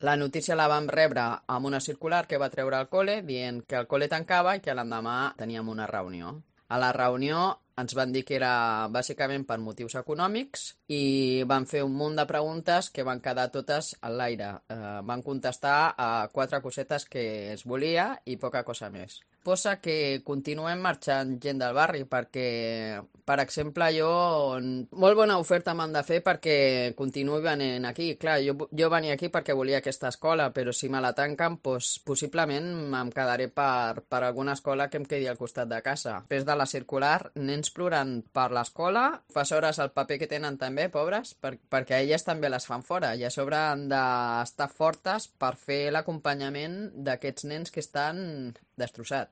La notícia la vam rebre amb una circular que va treure al col·le dient que el col·le tancava i que l'endemà teníem una reunió. A la reunió ens van dir que era bàsicament per motius econòmics i van fer un munt de preguntes que van quedar totes a l'aire. Van contestar a 4 cosetes que es volia i poca cosa més. Posa que continuem marxant gent del barri perquè, per exemple, molt bona oferta m'han de fer perquè continuï venint aquí. Clar, jo venia aquí perquè volia aquesta escola, però si me la tanquen, doncs, possiblement em quedaré per alguna escola que em quedi al costat de casa. Després de la circular, nens plorant per l'escola, professores el paper que tenen també, pobres, perquè a elles també les fan fora i a sobre han d'estar fortes per fer l'acompanyament d'aquests nens que estan destrossats.